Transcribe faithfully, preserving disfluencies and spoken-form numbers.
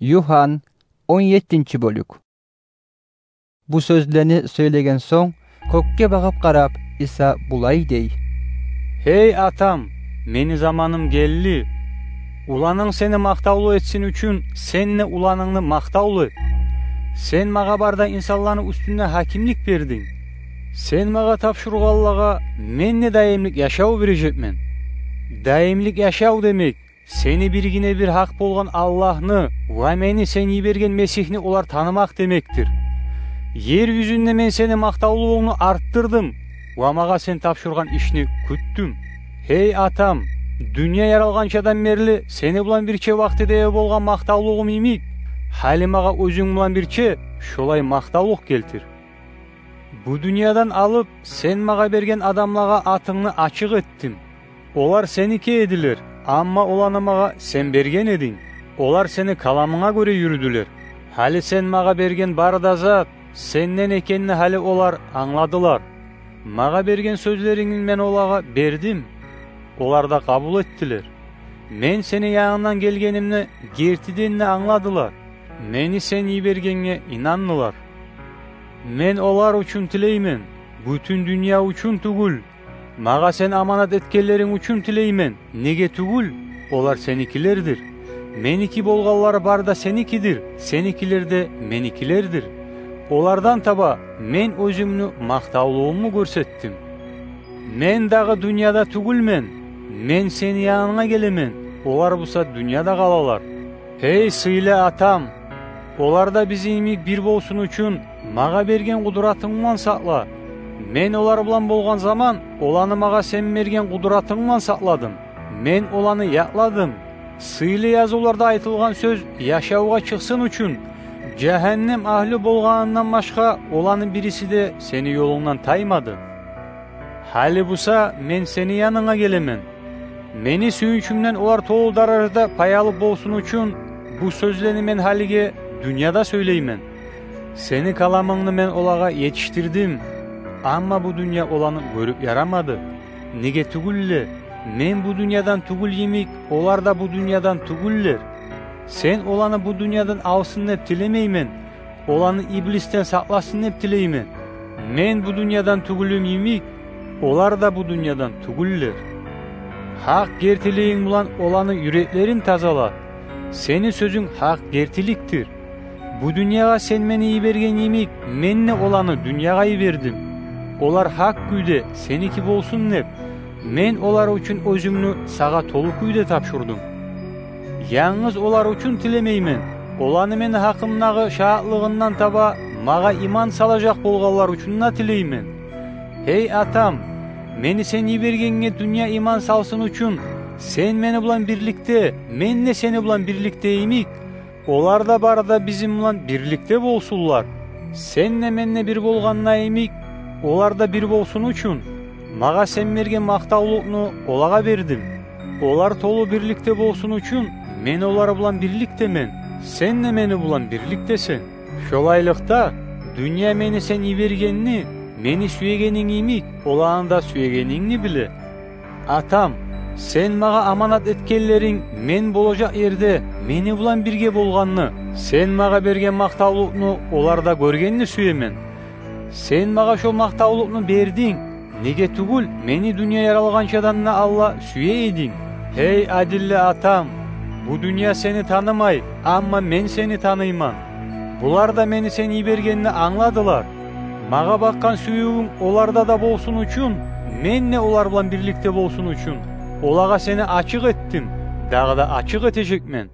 Юхан, он еттинчи бёлюк. Бу сёзлени сёйлеген сонг, кёкге багъып къарап, Иса булай дей: «Гьей Атам, мени заманым гелди. Уланынг сени макътавлу этсин учун, сен де уланынгны макътавлу эт. Сен магъа бары да инсанланы уьстюнде гьакимлик бердинг. Сен магъа тапшургъанлагъа мен де даимлик яшав бережекмен». Даимлик яшав демек — сени биргине-бир гьакъ болгъан Аллагьны ва мени сен йиберген Месигьни олар танымакъ демекдир. Ер юзюнде мен сени макътавлугъунгну артдырдым ва магъа сен тапшургъан ишни кютдюм. Гьей Атам, дюнья яралгъанчадан берли сени булан бирче вакътиде болгъан макътавлугъум йимик, гьали магъа оьзюнг булан бирче шолай макътавлукъ гелтир. Бу дюньядан алып, сен магъа берген адамлагъа атынгны ачыкъ этдим. Олар сеники эдилер, амма оланы магъа сен берген эдинг. Олар сени каламынга гёре юрюдюлер. Гьали сен магъа берген бары да зат сенден экенни гьали олар англадылар. Магъа берген сёзлерингни мен олагъа бердим. Олар да къабул этдилер. Мен сени янынгдан гелгенимни гертиден де англадылар. Мени сен йибергенге инандылар. Мен олар учун тилеймен, бютюн дюнья учун тюгюл. Магъа сен аманат этгенлеринг учун тилеймен, неге тюгюл, олар сеникилердир. Меники болгъанлар бары да сеникидир, сеникилер де меникилердир. Олардан таба мен оьзюмню макътавлугъумну гёрсетдим. Мен дагъы дюньяда тюгюлмен. Мен сени янынга гелемен, олар буса дюньяда къалалар. Гьей сыйлы Атам, олар да бизин йимик бир болсун учун магъа берген къудратынг булан сакъла. Мен олар булан болгъан заман, оланы магъа сен берген къудратынг булан сакъладым. Мен оланы якъладым. Сыйлы язывларда айтылгъан сёз яшавгъа чыкъсын учун, жагьаннем агьлю болгъанындан башгъа оланы бириси де сени ёлунгдан таймады. Гьали буса мен сени янынга гелемен. Мени сююнчюмден олар толу даражада пай алып болсун учун, бу сёзлени мен гьалиге дюньяда сёйлеймен. Сени каламынгны мен олагъа етишдирдим, амма бу дюнья оланы гёрюп ярамады. Неге тюгюл де, мен бу дюньядан тюгюл йимик, олар да бу дюньядан тюгюллер. Сен оланы бу дюньядан алсын деп тилемеймен, оланы иблисден сакъласын деп тилеймен. Мен бу дюньядан тюгюлюм йимик, олар да бу дюньядан тюгюллер. Гьакъ гертилигинг булан оланы юреклерин тазала. Сени сёзюнг гьакъ гертиликдир. Бу дюньягъа сен мени йиберген йимик, мен де оланы дюньягъа йибердим. Олар гьакъ кюйде сеники болсун деп, мен олар учун оьзюмню сагъа толу кюйде тапшурдум. Янгыз олар учун тилемеймен, оланы мени гьакъымдагъы шагьатлыгъындан таба магъа иман салажакъ болгъанлар учун да тилеймен. Гьей Атам, мени сен йибергенге дюнья иман салсын учун, сен мени булан бирликде, мен де сени булан бирликде йимик, олар да бары да бизин булан бирликде болсунлар. Сен де мен де бир болгъанда йимик, олар да бир болсун учун, магъа сен берген макътавлукъну олагъа бердим. Олар толу бирликде болсун учун, мен олар булан бирликдемен, сен де мени булан бирликдесен. Шолайлыкъда, дюнья мени сен йибергенни, мени сюегенинг йимик, оланы да сюегенингни биле. Атам, сен магъа аманат этгенлеринг мен болажакъ ерде мени булан бирге болгъанны, сен магъа берген макътавлукъну олар да гёргенни сюемен. Сен магъа шо макътавлукъну бердинг, неге тюгюл, мени дюнья яралгъанчадан да алда сюе эдинг. Гьей адилли Атам, бу дюнья сени танымай, амма мен сени таныйман. Булар да мени сен йибергенни англадылар. Магъа бакъгъан сюювюнг оларда да болсун учун, мен де олар булан бирликде болсун учун, олагъа сени ачыкъ этдим, дагъы да ачыкъ этежекмен.